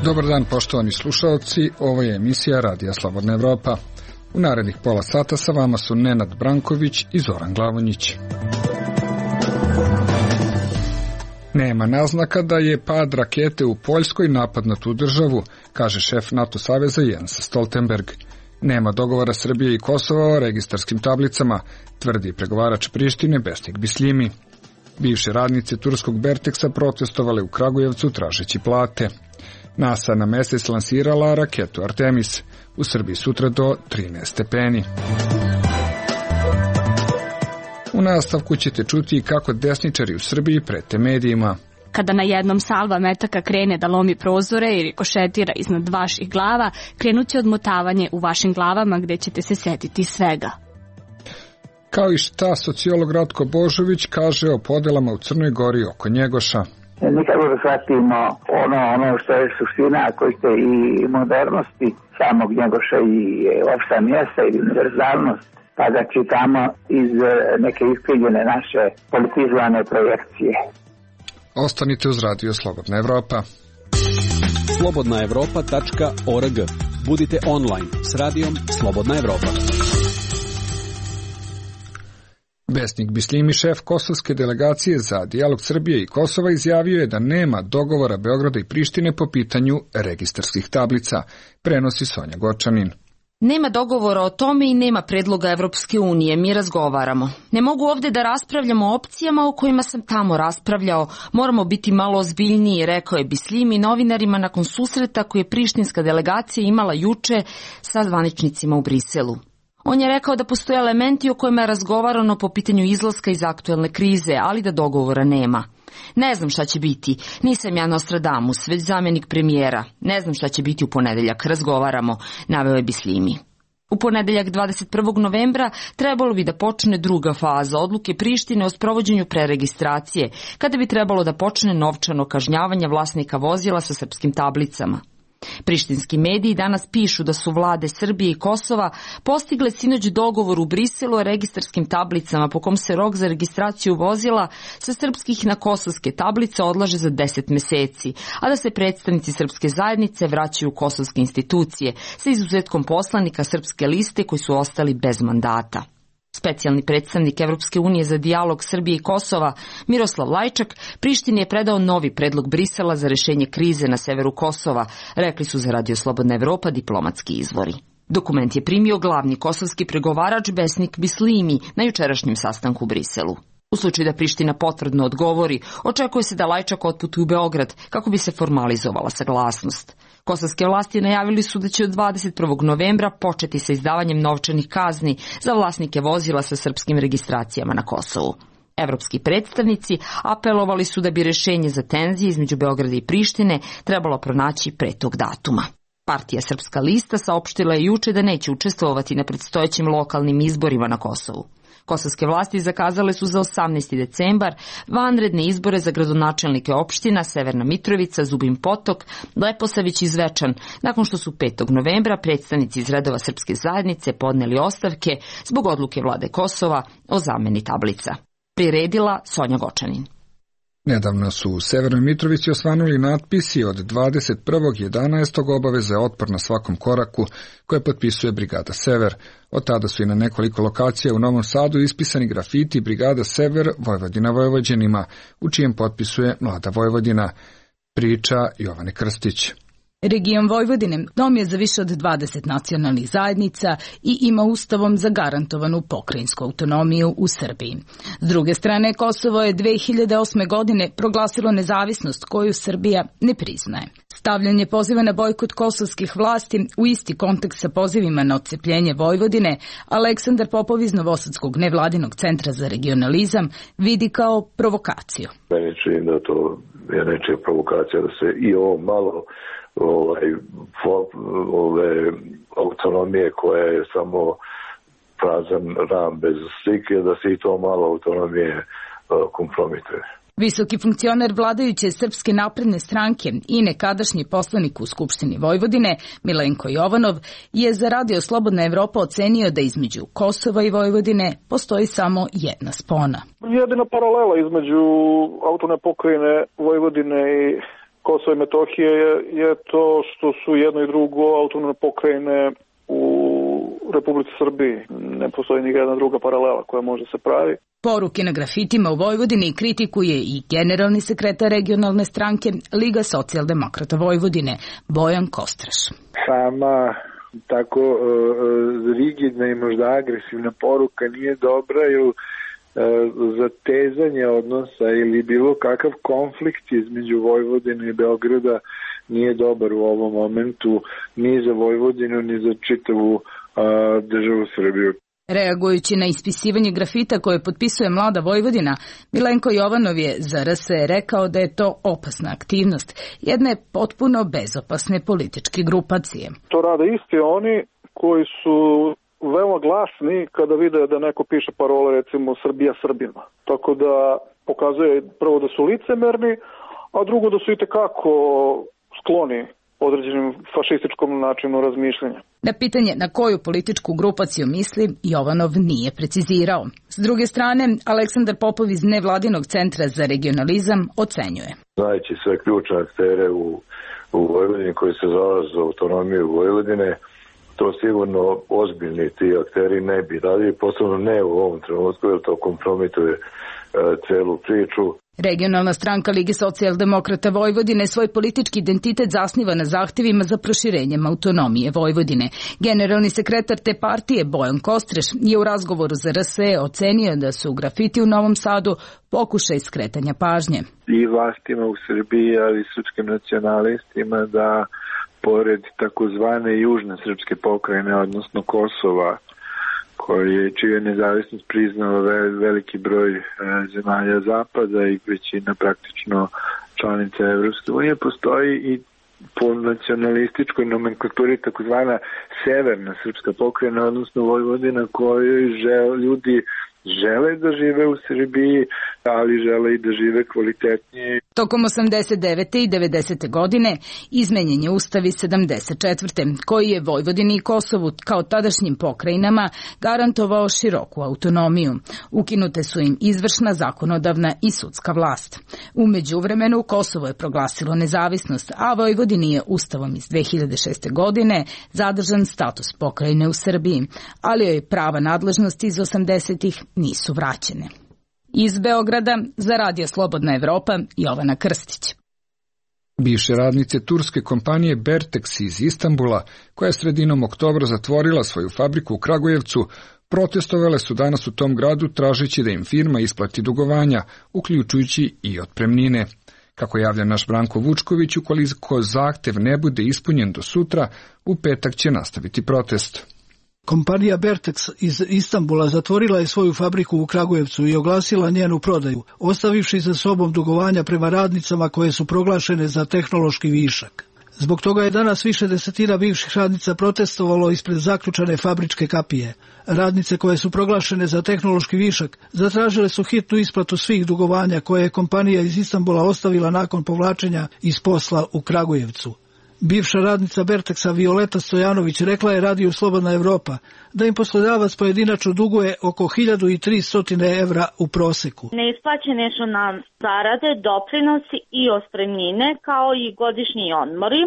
Dobar dan, poštovani slušalci, ovo je emisija Radija Slobodna Evropa. U narednih pola sata sa vama su Nenad Branković i Zoran Glavonjić. Nema naznaka da je pad rakete u Poljskoj napad na tu državu, kaže šef NATO saveza Jens Stoltenberg. Nema dogovora Srbije i Kosova o registarskim tablicama, tvrdi pregovarač Prištine Besnik Bislimi. Bivše radnice turskog Berteksa protestovale u Kragujevcu tražeći plate. NASA na mesec lansirala raketu Artemis. U Srbiji sutra do 13 stepeni. U nastavku ćete čuti kako desničari u Srbiji prete medijima. Kada na jednom salva metaka krene da lomi prozore i rikošetira iznad vaših glava, krenuće odmotavanje u vašim glavama gde ćete se setiti svega. Kao i šta sociolog Ratko Božović kaže o podelama u Crnoj Gori oko Njegoša. Nikako da shvatimo ono što je suština, ako ste i modernosti samog Njegoša i opšta mjesta i univerzalnost, pa da čitamo iz neke iskrivljene naše politizovane projekcije. Ostanite uz Radio Slobodna Evropa. slobodnaevropa.org. Budite online s radijom Slobodna Evropa. Besnik Bislimi, šef kosovske delegacije za dijalog Srbije i Kosova, izjavio je da nema dogovora Beograda i Prištine po pitanju registarskih tablica, prenosi Sonja Gočanin. Nema dogovora o tome i nema predloga Evropske unije, mi razgovaramo. Ne mogu ovde da raspravljamo o opcijama o kojima sam tamo raspravljao, moramo biti malo ozbiljniji, rekao je Bislimi novinarima nakon susreta koje je prištinska delegacija imala juče sa zvaničnicima u Briselu. On je rekao da postoje elementi o kojima je razgovarano po pitanju izlaska iz aktuelne krize, ali da dogovora nema. Ne znam šta će biti, nisam ja Nostradamus, već zamjenik premijera. Ne znam šta će biti u ponedeljak, razgovaramo, naveo je Bislimi. U ponedeljak 21. novembra trebalo bi da počne druga faza odluke Prištine o sprovođenju preregistracije, kada bi trebalo da počne novčano kažnjavanje vlasnika vozila sa srpskim tablicama. Prištinski mediji danas pišu da su vlade Srbije i Kosova postigle sinoć dogovor u Briselu o registarskim tablicama po kom se rok za registraciju vozila sa srpskih na kosovske tablice odlaže za 10 meseci, a da se predstavnici srpske zajednice vraćaju u kosovske institucije sa izuzetkom poslanika srpske liste koji su ostali bez mandata. Specijalni predstavnik Evropske unije za dijalog Srbije i Kosova, Miroslav Lajčak, Prištini je predao novi predlog Brisela za rešenje krize na severu Kosova, rekli su za Radio Slobodna Evropa diplomatski izvori. Dokument je primio glavni kosovski pregovarač Besnik Bislimi na jučerašnjem sastanku u Briselu. U slučaju da Priština potvrdno odgovori, očekuje se da Lajčak otputuje u Beograd kako bi se formalizovala saglasnost. Kosovske vlasti najavili su da će od 21. novembra početi sa izdavanjem novčanih kazni za vlasnike vozila sa srpskim registracijama na Kosovu. Evropski predstavnici apelovali su da bi rešenje za tenzije između Beograda i Prištine trebalo pronaći pre tog datuma. Partija Srpska lista saopštila je juče da neće učestvovati na predstojećim lokalnim izborima na Kosovu. Kosovske vlasti zakazale su za 18. decembar vanredne izbore za gradonačelnike opština Severna Mitrovica, Zubin Potok, Leposavić i Zvečan, nakon što su 5. novembra predstavnici iz redova srpske zajednice podneli ostavke zbog odluke vlade Kosova o zameni tablica. Priredila Sonja Gočanin. Nedavno su u Severnoj Mitrovici osvanuli natpisi od 21.11. obaveze otpor na svakom koraku koje potpisuje Brigada Sever. Od tada su i na nekoliko lokacija u Novom Sadu ispisani grafiti Brigada Sever Vojvodina Vojvođanima, u čijem potpisuje Mlada Vojvodina. Priča Jovane Krstić. Region Vojvodine dom je za više od 20 nacionalnih zajednica i ima ustavom zagarantovanu pokrajinsku autonomiju u Srbiji. S druge strane, Kosovo je 2008. godine proglasilo nezavisnost koju Srbija ne priznaje. Stavljanje poziva na bojkot kosovskih vlasti u isti kontekst sa pozivima na odcepljenje Vojvodine, Aleksandar Popov iz Novosadskog nevladinog centra za regionalizam vidi kao provokaciju. Meni čini da to je nečija provokacija da se i ovo malo ove autonomije koja je samo prazan ram bez slike, da se i to malo autonomije kompromituje. Visoki funkcioner vladajuće Srpske napredne stranke i nekadašnji poslanik u Skupštini Vojvodine, Milenko Jovanov, je za Radio Slobodna Evropa ocenio da između Kosova i Vojvodine postoji samo jedna spona. Jedina paralela između autonomne pokrajine Vojvodine i Kosova i Metohije je to što su jedno i drugo autonomne pokrajine u Republici Srbiji. Ne postoji ni jedna druga paralela koja može se pravi. Poruke na grafitima u Vojvodini kritikuje i generalni sekretar regionalne stranke Liga socijaldemokrata Vojvodine, Bojan Kostraš. Sama tako rigidna i možda agresivna poruka nije dobra, jer zatezanje odnosa ili bilo kakav konflikt između Vojvodine i Beograda nije dobar u ovom momentu ni za Vojvodinu ni za čitavu državu Srbiju. Reagujući na ispisivanje grafita koje potpisuje Mlada Vojvodina, Milenko Jovanov je za RS rekao da je to opasna aktivnost, jedne potpuno bezopasne političke grupacije. To rade isti oni koji su veoma glasni kada vide da neko piše parole, recimo Srbija Srbima. Tako da pokazuje prvo da su licemerni, a drugo da su itekako skloni određenim fašističkom načinu razmišljanja. Na pitanje na koju političku grupaciju misli, Jovanov nije precizirao. S druge strane, Aleksandar Popov iz Nevladinog centra za regionalizam ocenjuje. Znajući sve ključne aktere u Vojvodini koji se zalažu za autonomiju Vojvodine, to sigurno ozbiljni ti akteri ne bi radili, posebno ne u ovom trenutku, jer to kompromituje celu priču. Regionalna stranka Lige socijaldemokrata Vojvodine svoj politički identitet zasniva na zahtevima za proširenjem autonomije Vojvodine. Generalni sekretar te partije Bojan Kostreš je u razgovoru za RSE ocenio da su grafiti u Novom Sadu pokušaj skretanja pažnje. I vlastima u Srbiji, ali i srpskim nacionalistima da pored takozvane južne srpske pokrajine, odnosno Kosova, čiju je nezavisnost priznao veliki broj zemalja Zapada i većina praktično članica Evropske unije, postoji i po nacionalističkoj nomenklaturi takozvana severna srpska pokrajina, odnosno Vojvodina, kojoj ljudi žele da žive u Srbiji, ali žele i da žive kvalitetnije. Tokom 89. i 90. godine izmenjen je Ustav iz 74. koji je Vojvodini i Kosovu kao tadašnjim pokrajinama garantovao široku autonomiju. Ukinute su im izvršna, zakonodavna i sudska vlast. U međuvremenu Kosovo je proglasilo nezavisnost, a Vojvodini je Ustavom iz 2006. godine zadržan status pokrajine u Srbiji, ali joj prava nadležnosti iz 80-ih nisu vraćene. Iz Beograda za Radio Slobodna Evropa, Jovana Krstić. Bivše radnice turske kompanije Bertex iz Istanbula, koja je sredinom oktobra zatvorila svoju fabriku u Kragujevcu, protestovale su danas u tom gradu tražeći da im firma isplati dugovanja, uključujući i otpremnine. Kako javlja naš Branko Vučković, ukoliko zahtev ne bude ispunjen do sutra, u petak će nastaviti protest. Kompanija Bertex iz Istanbula zatvorila je svoju fabriku u Kragujevcu i oglasila njenu prodaju, ostavivši za sobom dugovanja prema radnicama koje su proglašene za tehnološki višak. Zbog toga je danas više desetina bivših radnica protestovalo ispred zaključane fabričke kapije. Radnice koje su proglašene za tehnološki višak zatražile su hitnu isplatu svih dugovanja koje je kompanija iz Istanbula ostavila nakon povlačenja iz posla u Kragujevcu. Bivša radnica Bertexa Violeta Stojanović rekla je Radiju Slobodna Evropa da im poslodavac pojedinačno duguje oko 1300 evra u proseku. Neisplaćene su nam zarade, doprinosi i otpremnine kao i godišnji odmori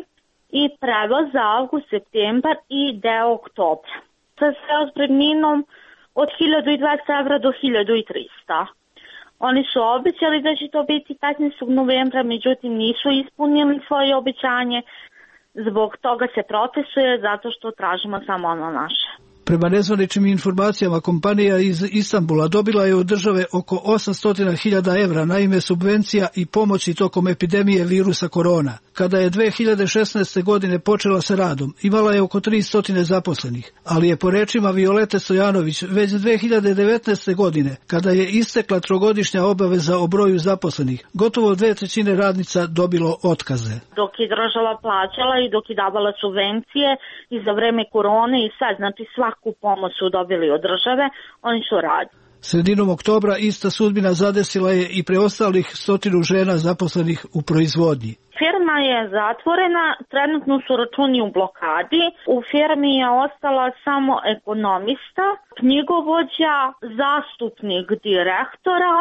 i prevoz za avgust, septembar i deo oktobra. Sa sve otpremninom od 1200 evra do 1300. Oni su obećali da će to biti 15. novembra, međutim nisu ispunili svoje obećanje. Zbog toga se protestuje zato što tražimo samo ono naše. Prema nezvaničnim informacijama, kompanija iz Istanbula dobila je od države oko 800.000 evra na ime subvencija i pomoći tokom epidemije virusa korona. Kada je 2016. godine počela sa radom, imala je oko 300 zaposlenih, ali je po rečima Violete Stojanović već 2019. godine, kada je istekla trogodišnja obaveza o broju zaposlenih, gotovo 2/3 radnica dobilo otkaze. Dok je država plaćala i dok je davala subvencije i za vreme korone i sad, znači svaku pomoć su dobili od države, oni su radili. Sredinom oktobra ista sudbina zadesila je i preostalih 100 žena zaposlenih u proizvodnji. Firma je zatvorena, trenutno su računi u blokadi. U firmi je ostala samo ekonomista, knjigovođa, zastupnik direktora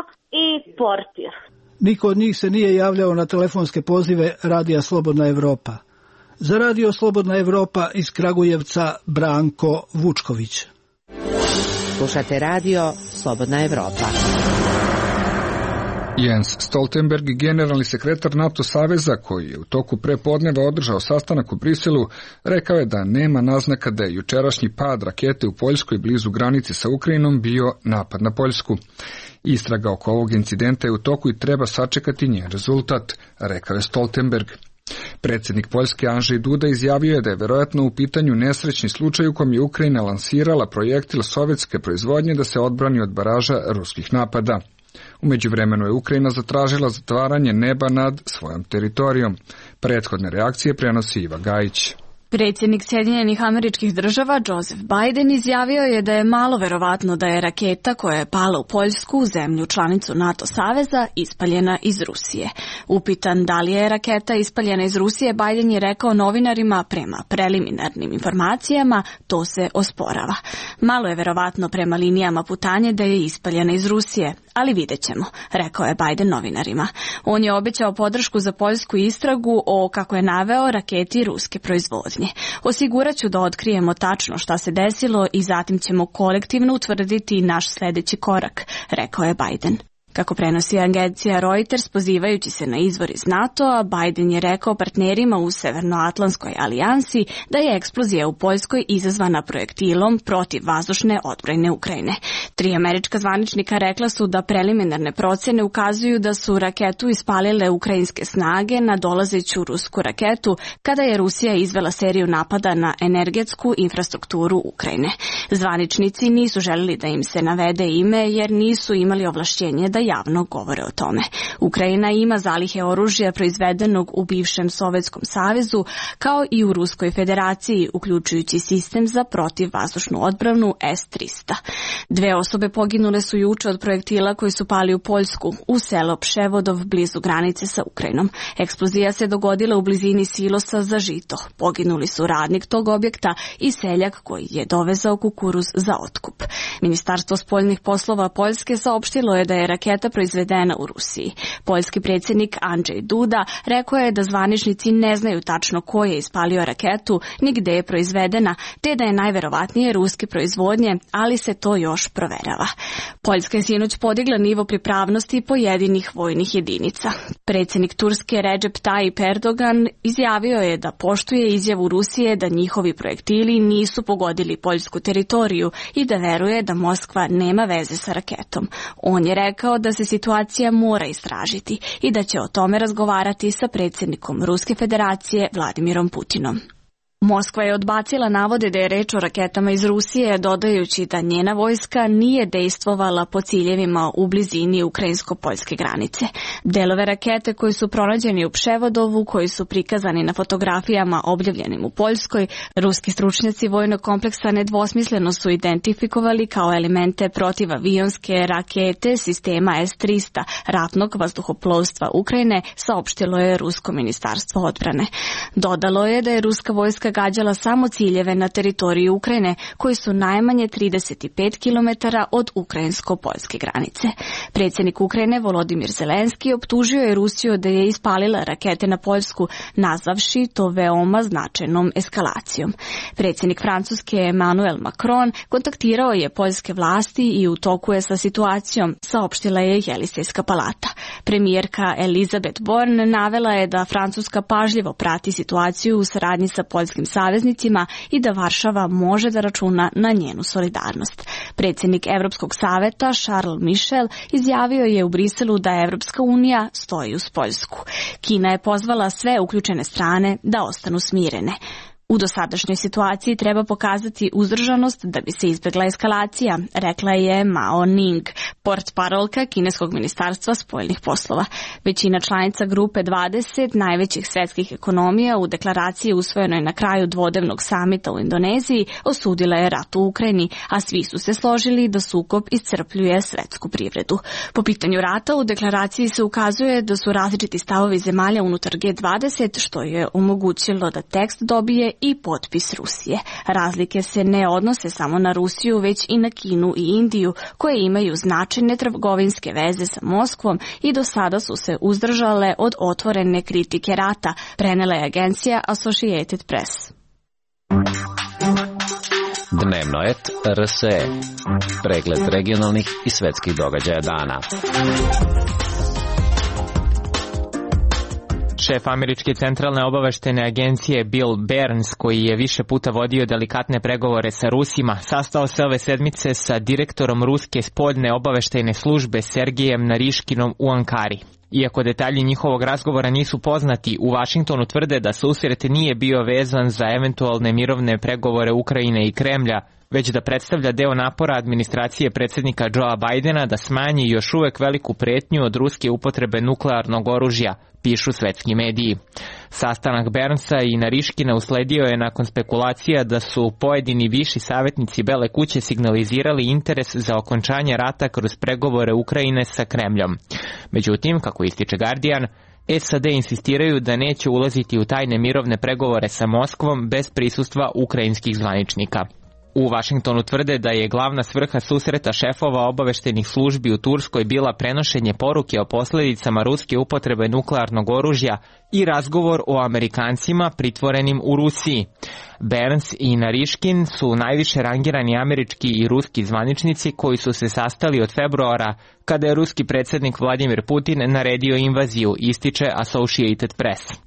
i portir. Niko od njih se nije javljao na telefonske pozive Radija Slobodna Evropa. Za Radio Slobodna Evropa iz Kragujevca Branko Vučković. Slušate Radio Slobodna Evropa. Jens Stoltenberg, generalni sekretar NATO saveza, koji je u toku prepodneva održao sastanak u Briselu, rekao je da nema naznaka da je jučerašnji pad rakete u Poljskoj blizu granice sa Ukrajinom bio napad na Poljsku. Istraga oko ovog incidenta je u toku i treba sačekati njen rezultat, rekao je Stoltenberg. Predsjednik Poljske Andrzej Duda izjavio je da je verovatno u pitanju nesrećni slučaj u kom je Ukrajina lansirala projektil sovjetske proizvodnje da se odbrani od baraža ruskih napada. U međuvremenu je Ukrajina zatražila zatvaranje neba nad svojom teritorijom. Prethodne reakcije prenosi Iva Gajić. Predsjednik Sjedinjenih Američkih Država Joseph Biden izjavio je da je malo verovatno da je raketa koja je pala u Poljsku, zemlju članicu NATO saveza, ispaljena iz Rusije. Upitan da li je raketa ispaljena iz Rusije, Biden je rekao novinarima prema preliminarnim informacijama to se osporava. Malo je verovatno prema linijama putanje da je ispaljena iz Rusije, ali vidjet ćemo, rekao je Biden novinarima. On je obećao podršku za poljsku istragu o, kako je naveo, raketi ruske proizvodnje. Osigurat ću da otkrijemo tačno šta se desilo i zatim ćemo kolektivno utvrditi naš sljedeći korak, rekao je Biden. Kako prenosi agencija Reuters, pozivajući se na izvor iz NATO-a, Biden je rekao partnerima u Severnoatlantskoj alijansi da je eksplozija u Poljskoj izazvana projektilom protiv vazdušne odbrane Ukrajine. 3 američka zvaničnika rekla su da preliminarne procjene ukazuju da su raketu ispalile ukrajinske snage na dolazeću rusku raketu kada je Rusija izvela seriju napada na energetsku infrastrukturu Ukrajine. Zvaničnici nisu želeli da im se navede ime jer nisu imali ovlašćenje da javno govore o tome. Ukrajina ima zalihe oružja proizvedenog u bivšem Sovjetskom savezu kao i u Ruskoj federaciji, uključujući sistem za protivvazdušnu odbranu S-300. 2 osobe poginule su juče od projektila koji su pali u Poljsku, u selo Pševodov blizu granice sa Ukrajinom. Eksplozija se dogodila u blizini silosa za žito. Poginuli su radnik tog objekta i seljak koji je dovezao kukuruz za otkup. Ministarstvo spoljnih poslova Poljske saopštilo je da je raketa proizvedena u Rusiji. Poljski predsjednik Andrzej Duda rekao je da zvaničnici ne znaju tačno ko je ispalio raketu, ni gde je proizvedena, te da je najverovatnije ruske proizvodnje, ali se to još proverava. Poljska je sinoć podigla nivo pripravnosti pojedinih vojnih jedinica. Predsjednik Turske Recep Tayyip Erdogan izjavio je da poštuje izjavu Rusije da njihovi projektili nisu pogodili poljsku teritoriju i da veruje da Moskva nema veze sa raketom. On je rekao da se situacija mora istražiti i da će o tome razgovarati sa predsjednikom Ruske federacije Vladimirom Putinom. Moskva je odbacila navode da je reč o raketama iz Rusije, dodajući da njena vojska nije dejstvovala po ciljevima u blizini ukrajinsko-poljske granice. Delove rakete koji su pronađeni u Pševodovu, koji su prikazani na fotografijama objavljenim u Poljskoj, ruski stručnjaci vojnog kompleksa nedvosmisleno su identifikovali kao elemente protivavionske rakete sistema S-300 ratnog vazduhoplovstva Ukrajine, saopštilo je Rusko ministarstvo odbrane. Dodalo je da je ruska vojska gađala samo ciljeve na teritoriji Ukrajine, koji su najmanje 35 km od ukrajinsko-poljske granice. Predsjednik Ukrajine Volodimir Zelenski optužio je Rusiju da je ispalila rakete na Poljsku, nazvavši to veoma značajnom eskalacijom. Predsjednik Francuske Emmanuel Macron kontaktirao je poljske vlasti i u toku je sa situacijom, saopštila je Jelisejska palata. Premijerka Elizabeth Borne navela je da Francuska pažljivo prati situaciju u saradnji sa poljskim saveznicima i da Varšava može da računa na njenu solidarnost. Predsjednik Evropskog saveta Charles Michel izjavio je u Briselu da Evropska unija stoji uz Poljsku. Kina je pozvala sve uključene strane da ostanu smirene. U dosadašnjoj situaciji treba pokazati uzdržanost da bi se izbjegla eskalacija, rekla je Mao Ning, portparolka kineskog ministarstva spoljnih poslova. Većina članica grupe 20 najvećih svjetskih ekonomija u deklaraciji usvojenoj na kraju dvodnevnog samita u Indoneziji osudila je rat u Ukrajini, a svi su se složili da sukob iscrpljuje svjetsku privredu. Po pitanju rata u deklaraciji se ukazuje da su različiti stavovi zemalja unutar G20, što je omogućilo da tekst dobije i potpis Rusije. Razlike se ne odnose samo na Rusiju, već i na Kinu i Indiju, koje imaju značajne trgovinske veze sa Moskvom i do sada su se uzdržale od otvorene kritike rata, prenela je agencija Associated Press. Dnevnoet RSE. Pregled regionalnih i svetskih događaja dana. Šef američke centralne obaveštajne agencije Bill Burns, koji je više puta vodio delikatne pregovore sa Rusima, sastao se ove sedmice sa direktorom ruske spoljne obaveštajne službe Sergejem Nariškinom u Ankari. Iako detalji njihovog razgovora nisu poznati, u Vašingtonu tvrde da susret nije bio vezan za eventualne mirovne pregovore Ukrajine i Kremlja, već da predstavlja deo napora administracije predsjednika Joea Bidena da smanji još uvek veliku pretnju od ruske upotrebe nuklearnog oružja, pišu svetski mediji. Sastanak Burnsa i Nariškina usledio je nakon spekulacija da su pojedini viši savjetnici Bele kuće signalizirali interes za okončanje rata kroz pregovore Ukrajine sa Kremljom. Međutim, kako ističe Guardian, SAD insistiraju da neće ulaziti u tajne mirovne pregovore sa Moskvom bez prisustva ukrajinskih zvaničnika. U Vašingtonu tvrde da je glavna svrha susreta šefova obaveštajnih službi u Turskoj bila prenošenje poruke o posljedicama ruske upotrebe nuklearnog oružja i razgovor o Amerikancima pritvorenim u Rusiji. Burns i Nariškin su najviše rangirani američki i ruski zvaničnici koji su se sastali od februara kada je ruski predsjednik Vladimir Putin naredio invaziju, ističe Associated Press.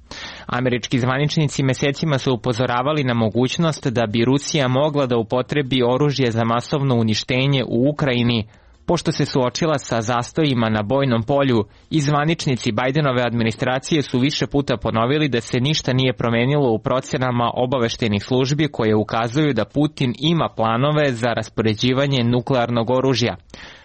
Američki zvaničnici mesecima su upozoravali na mogućnost da bi Rusija mogla da upotrebi oružje za masovno uništenje u Ukrajini, pošto se suočila sa zastojima na bojnom polju, i zvaničnici Bidenove administracije su više puta ponovili da se ništa nije promenilo u procenama obaveštajnih službi koje ukazuju da Putin ima planove za raspoređivanje nuklearnog oružja.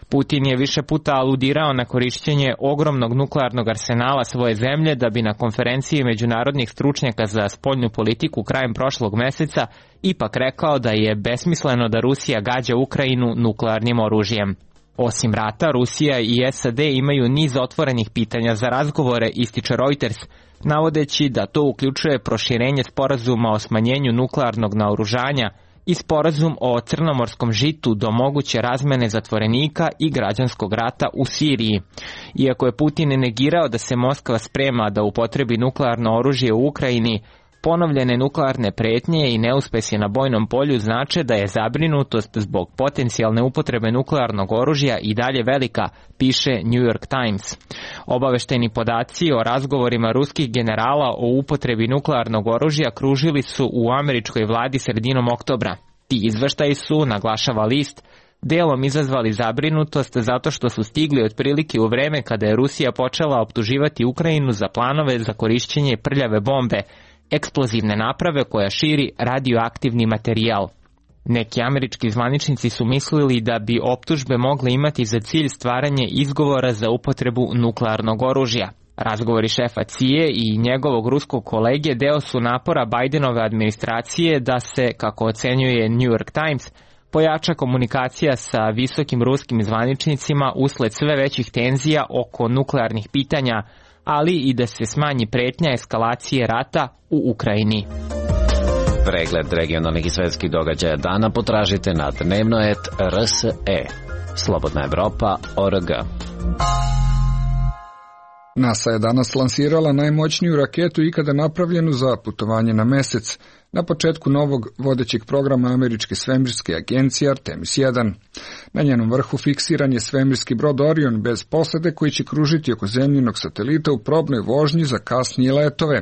Putin je više puta aludirao na korišćenje ogromnog nuklearnog arsenala svoje zemlje da bi na konferenciji međunarodnih stručnjaka za spoljnu politiku krajem prošlog meseca ipak rekao da je besmisleno da Rusija gađa Ukrajinu nuklearnim oružjem. Osim rata, Rusija i SAD imaju niz otvorenih pitanja za razgovore, ističe Reuters, navodeći da to uključuje proširenje sporazuma o smanjenju nuklearnog naoružanja i sporazum o crnomorskom žitu do moguće razmene zatvorenika i građanskog rata u Siriji. Iako je Putin negirao da se Moskva sprema da upotrebi nuklearno oružje u Ukrajini, ponovljene nuklearne pretnje i neuspesi na bojnom polju znače da je zabrinutost zbog potencijalne upotrebe nuklearnog oružja i dalje velika, piše New York Times. Obaveštajni podaci o razgovorima ruskih generala o upotrebi nuklearnog oružja kružili su u američkoj vladi sredinom oktobra. Ti izveštaji su, naglašava list, delom izazvali zabrinutost zato što su stigli otprilike u vreme kada je Rusija počela optuživati Ukrajinu za planove za korišćenje prljave bombe, eksplozivne naprave koja širi radioaktivni materijal. Neki američki zvaničnici su mislili da bi optužbe mogle imati za cilj stvaranje izgovora za upotrebu nuklearnog oružja. Razgovori šefa CIA i njegovog ruskog kolege deo su napora Bidenove administracije da se, kako ocenjuje New York Times, pojača komunikacija sa visokim ruskim zvaničnicima usled sve većih tenzija oko nuklearnih pitanja, ali i da se smanji pretnja eskalacije rata u Ukrajini. Pregled regionalnih i svetskih događaja dana potražite na Dnevnoet RSE. Slobodna Evropa.org. NASA je danas lansirala najmoćniju raketu ikada napravljenu za putovanje na mesec, na početku novog vodećeg programa američke svemirske agencije Artemis 1. Na njenom vrhu fiksiran je svemirski brod Orion bez posade koji će kružiti oko zemljinog satelita u probnoj vožnji za kasnije letove.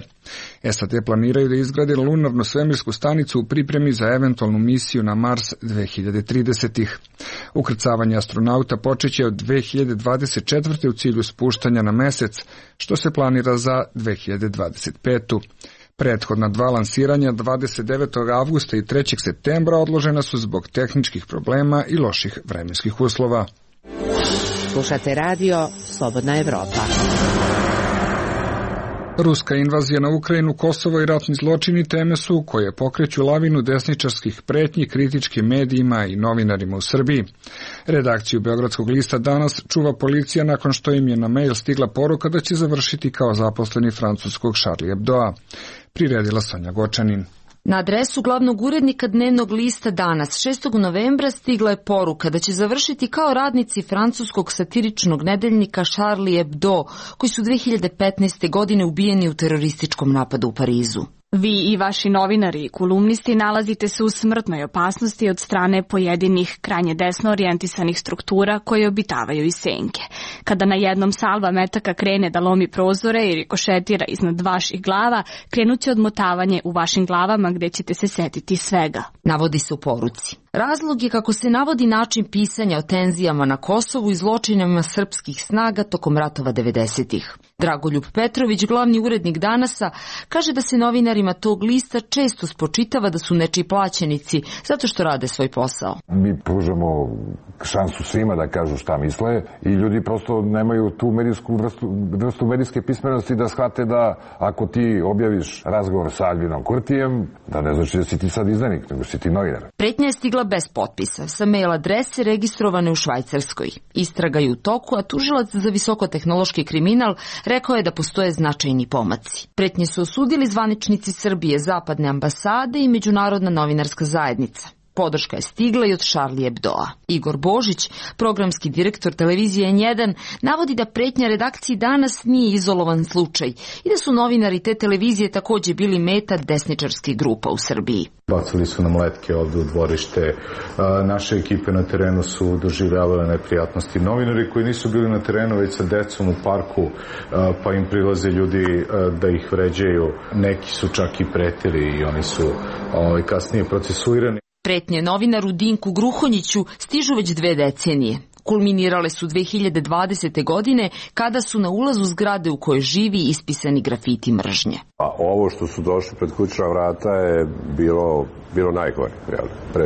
SAD planiraju da izgrade lunarnu svemirsku stanicu u pripremi za eventualnu misiju na Mars 2030-ih. Ukrcavanje astronauta počeće od 2024. u cilju spuštanja na mesec, što se planira za 2025. Prethodna dva lansiranja 29. avgusta i 3. septembra odložena su zbog tehničkih problema i loših vremenskih uslova. Slušate radio Slobodna Evropa. Ruska invazija na Ukrajinu, Kosovo i ratni zločini teme su koje pokreću lavinu desničarskih pretnji kritičkim medijima i novinarima u Srbiji. Redakciju Beogradskog lista Danas čuva policija nakon što im je na mail stigla poruka da će završiti kao zaposleni francuskog Charlie Hebdoa. Priredila Sonja Gočanin. Na adresu glavnog urednika dnevnog lista Danas 6. novembra stigla je poruka da će završiti kao radnici francuskog satiričnog nedeljnika Charlie Hebdo, koji su 2015. godine ubijeni u terorističkom napadu u Parizu. Vi i vaši novinari i kolumnisti nalazite se u smrtnoj opasnosti od strane pojedinih krajnje desno orijentisanih struktura koje obitavaju iz senke. Kada na jednom salva metaka krene da lomi prozore i rikošetira iznad vaših glava, krenuće odmotavanje u vašim glavama gde ćete se setiti svega. Navodi se u poruci. Razlog je, kako se navodi, način pisanja o tenzijama na Kosovu i zločinima srpskih snaga tokom ratova 90-ih. Dragoljub Petrović, glavni urednik Danasa, kaže da se novinarima tog lista često spočitava da su nečiji plaćenici zato što rade svoj posao. Mi pružamo šansu svima da kažu šta misle i ljudi prosto nemaju tu vrstu medijske pismenosti da shvate da ako ti objaviš razgovor sa Albinom Kurtijem, da ne znači da si ti sad izdanik, nego si ti novinar. Pretnja je stigla bez potpisa, sa mail adrese registrovane u Švajcarskoj. Istraga je u toku, a tužilac za visokotehnološki kriminal rekao je da postoje značajni pomaci. Pretnje su osudili zvaničnici Srbije, zapadne ambasade i međunarodna novinarska zajednica. Podrška je stigla i od Charlie Hebdoa. Igor Božić, programski direktor televizije N1, navodi da pretnja redakciji Danas nije izolovan slučaj i da su novinari te televizije takođe bili meta desničarskih grupa u Srbiji. Bacili su nam letke ovde u dvorište, naše ekipe na terenu su doživljavale neprijatnosti. Novinari koji nisu bili na terenu već sa decom u parku, pa im prilaze ljudi da ih vređaju, neki su čak i pretili i oni su kasnije procesuirani. Pretnje novinaru Dinku Gruhonjiću stižu već 2 decenije. Kulminirale su 2020. godine kada su na ulazu zgrade u kojoj živi ispisani grafiti mržnje. A ovo što su došli pred kućna vrata je bilo najgore.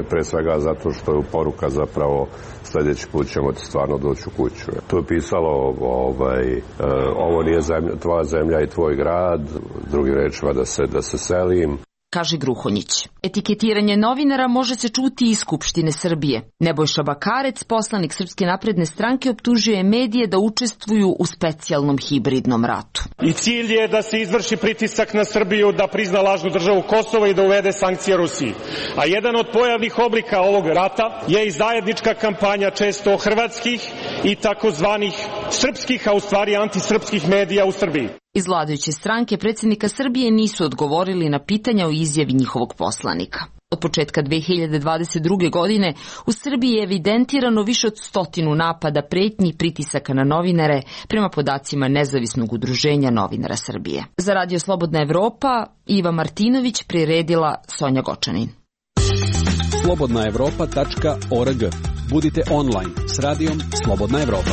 Pre svega zato što je poruka zapravo sljedeći put ćemo ti stvarno doći u kuću. Tu je pisalo ovo nije tvoja zemlja i tvoj grad, drugim rečima da se selim. Kaže Gruhonjić. Etiketiranje novinara može se čuti iz Skupštine Srbije. Nebojša Bakarec, poslanik Srpske napredne stranke, optužuje medije da učestvuju u specijalnom hibridnom ratu. I cilj je da se izvrši pritisak na Srbiju da prizna lažnu državu Kosova i da uvede sankcije Rusiji. A jedan od pojavnih oblika ovog rata je i zajednička kampanja često hrvatskih i takozvanih srpskih, a u stvari antisrpskih medija u Srbiji. Iz vladajuće stranke predsjednika Srbije nisu odgovorili na pitanja o izjavi njihovog poslanika. Od početka 2022. godine u Srbiji je evidentirano više od 100 napada, pretnji i pritisaka na novinare prema podacima Nezavisnog udruženja novinara Srbije. Za Radio Slobodna Evropa, Iva Martinović, priredila Sonja Gočanin. slobodnaevropa.org. Budite online s radijom Slobodna Evropa.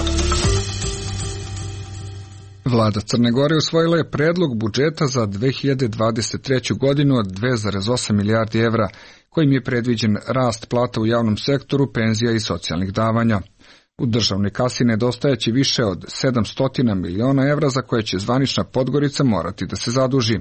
Vlada Crne Gore usvojila je predlog budžeta za 2023. godinu od 2,8 milijardi evra, kojim je predviđen rast plata u javnom sektoru, penzija i socijalnih davanja. U državnoj kasi nedostajeći više od 700 miliona evra za koje će zvanična Podgorica morati da se zaduži.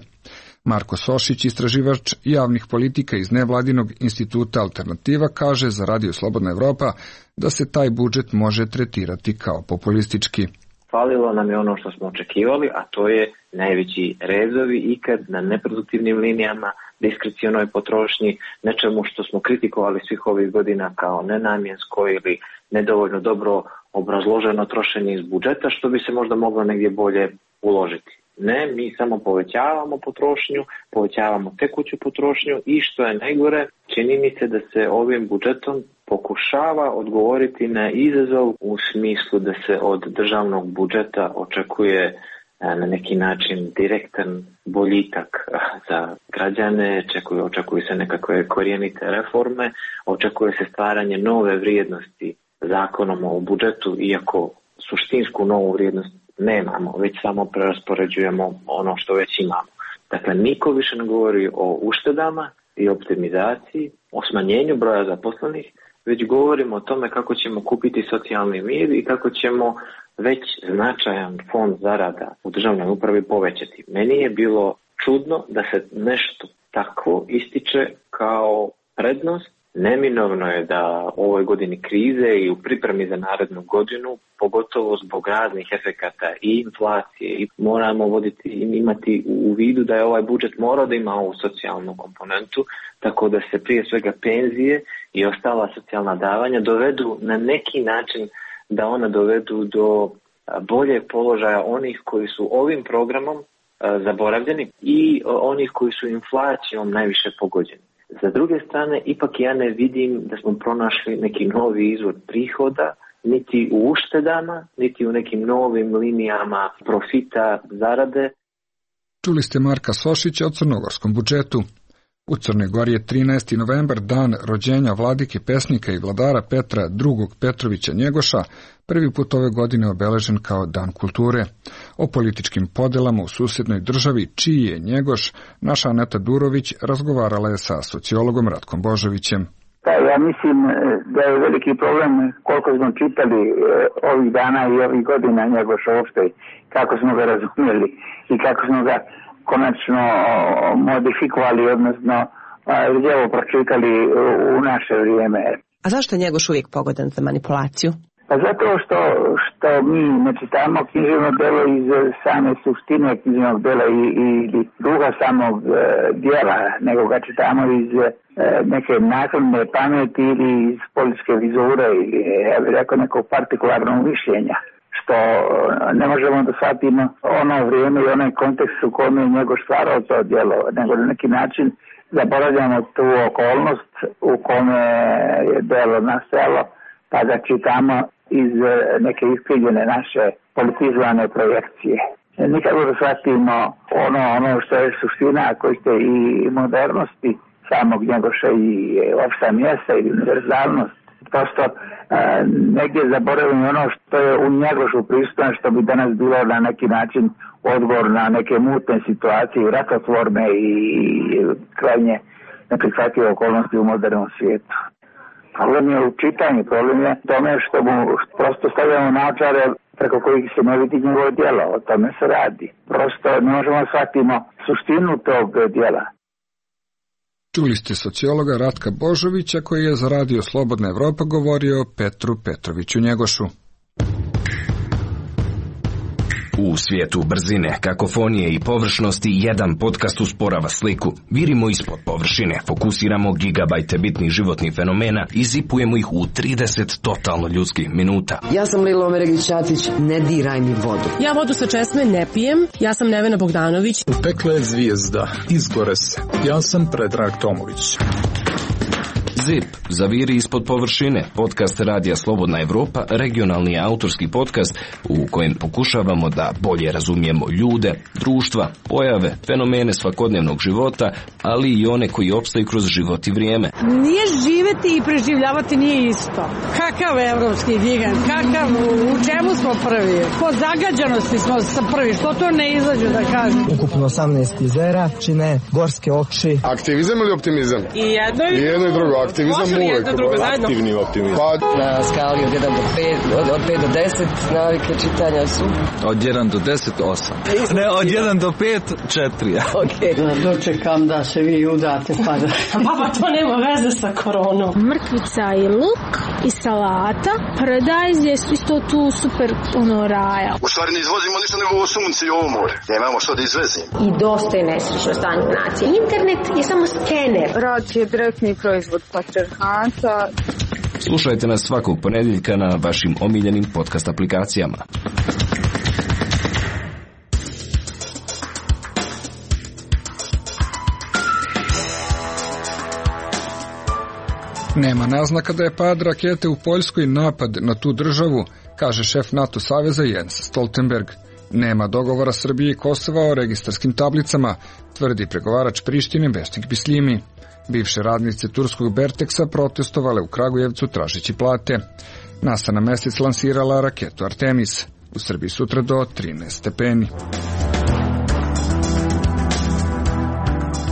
Marko Sošić, istraživač javnih politika iz nevladinog instituta Alternativa, kaže za Radio Slobodna Evropa da se taj budžet može tretirati kao populistički. Falilo nam je ono što smo očekivali, a to je najveći rezovi ikad na neproduktivnim linijama, diskrecionoj potrošnji, nečemu što smo kritikovali svih ovih godina kao nenamjensko ili nedovoljno dobro obrazloženo trošenje iz budžeta, što bi se možda moglo negdje bolje uložiti. Ne, mi samo povećavamo potrošnju, povećavamo tekuću potrošnju i što je najgore, čini mi se da se ovim budžetom pokušava odgovoriti na izazov u smislu da se od državnog budžeta očekuje na neki način direktan boljitak za građane, očekuju se nekakve korijenite reforme, očekuje se stvaranje nove vrijednosti zakonom o budžetu, iako suštinsku novu vrijednost nemamo, već samo preraspoređujemo ono što već imamo. Dakle, niko više ne govori o uštedama i optimizaciji, o smanjenju broja zaposlenih, već govorimo o tome kako ćemo kupiti socijalni mir i kako ćemo već značajan fond zarada u državnoj upravi povećati. Meni je bilo čudno da se nešto tako ističe kao prednost Neminovno je da u ovoj godini krize i u pripremi za narednu godinu, pogotovo zbog raznih efekata i inflacije, i moramo imati u vidu da je ovaj budžet morao da ima ovu socijalnu komponentu, tako da se prije svega penzije i ostala socijalna davanja dovedu na neki način, da ona dovedu do boljeg položaja onih koji su ovim programom zaboravljeni i onih koji su inflacijom najviše pogođeni. Za druge strane, ipak ja ne vidim da smo pronašli neki novi izvor prihoda, niti u uštedama, niti u nekim novim linijama profita, zarade. Čuli ste Marka Sošića o crnogorskom budžetu. U Crnoj Gori je 13. novembar dan rođenja vladike, pesnika i vladara Petra II. Petrovića Njegoša, prvi put ove godine obeležen kao Dan kulture. O političkim podelama u susjednoj državi, čiji je Njegoš, naša Aneta Durović razgovarala je sa sociologom Ratkom Božovićem. Ja mislim da je veliki problem koliko smo čitali ovih dana i ovih godina Njegoša uopšte, kako smo ga razumjeli i kako smo ga konačno modifikovali, odnosno lijevo pročitali u naše vrijeme. A zašto je Njegoš uvijek pogodan za manipulaciju? Pa zato što mi ne čitamo književno delo iz same suštine književnog dela i duha samog dijela, nego ga čitamo iz neke nakladne pameti ili iz političke vizure ili, ja bih rekao, nekog partikularnog mišljenja, što ne možemo da shvatimo ono vrijeme i onaj kontekst u kojem je Njegoš stvarao to djelo, nego na neki način zaboravljamo tu okolnost u kome je djelo nastajalo, pa da čitamo iz neke iskrivljene naše politizovane projekcije. Nikako da shvatimo ono što je suština koriste i modernosti samog Njegoša i opšta mjesta i univerzalnost. Prosto negdje zaboravimo ono što je u Njegošu prisutno, što bi danas bilo na neki način odgovor na neke mutne situacije, rakotvorne i krajnje neprihvatljive okolnosti u modernom svijetu. Problem je u čitanju, problem je tome što mu prosto stavljamo naočare preko kojih se ne vidi njegovo djelo, o tome se radi. Prosto ne možemo shvatimo suštinu tog djela. Čuli ste sociologa Ratka Božovića koji je za radio Slobodna Evropa govorio o Petru Petroviću Njegošu. U svijetu brzine, kakofonije i površnosti jedan podcast usporava sliku. Virimo ispod površine, fokusiramo gigabajte bitnih životnih fenomena i zipujemo ih u 30 totalno ljudskih minuta. Ja sam Lilo Omeregić-Ćatić, ne diraj mi vodu. Ja vodu sa česme ne pijem, ja sam Nevena Bogdanović. U pekle je zvijezda, izgore se. Ja sam Predrag Tomović. ZIP, zaviri ispod površine, podcast Radija Slobodna Evropa, regionalni autorski podcast u kojem pokušavamo da bolje razumijemo ljude, društva, pojave, fenomene svakodnevnog života, ali i one koji opstaju kroz život i vrijeme. Nije živeti i preživljavati nije isto. Kakav evropski gigant, u čemu smo prvi? Po zagađanosti smo prvi, što to ne izađe da kažem. Ukupno 18 jezera, čine gorske oči. Aktivizam ili optimizam? I jedno i drugo. Aktivizam uvek. Aktivni optimizam. Na skali od 1 do 5, od 5 do 10 navike čitanja su? Od 1 do 10, 8. Ne, od 1 do 5, 4. Ok. Dočekam da se vi udate pa da... Baba, to nema veze sa koronom. Mrkvica i luk i salata. Paradajz je isto tu super raja. U stvari ne izvozimo ništa nego ovo sunce i ovo more. Nemamo što da izvezimo. I dosta je nesrećno stanje nacije. Internet je samo skener. Rad je direktni proizvod patrijarhata. Slušajte nas svakog ponedjeljka na vašim omiljenim podcast aplikacijama. Nema naznaka da je pad rakete u Poljskoj napad na tu državu, kaže šef NATO saveza Jens Stoltenberg. Nema dogovora Srbije i Kosova o registarskim tablicama, tvrdi pregovarač Prištine Besnik Bislimi. Bivše radnice turskog Berteksa protestovale u Kragujevcu tražeći plate. NASA na mjesec lansirala raketu Artemis. U Srbiji sutra do 13 stepeni.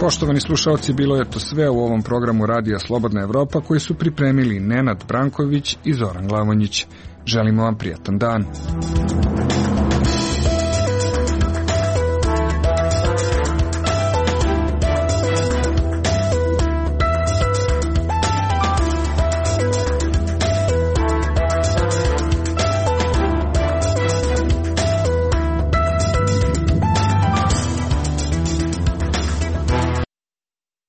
Poštovani slušalci, bilo je to sve u ovom programu Radija Slobodna Evropa koji su pripremili Nenad Branković i Zoran Glavonjić. Želimo vam prijatan dan.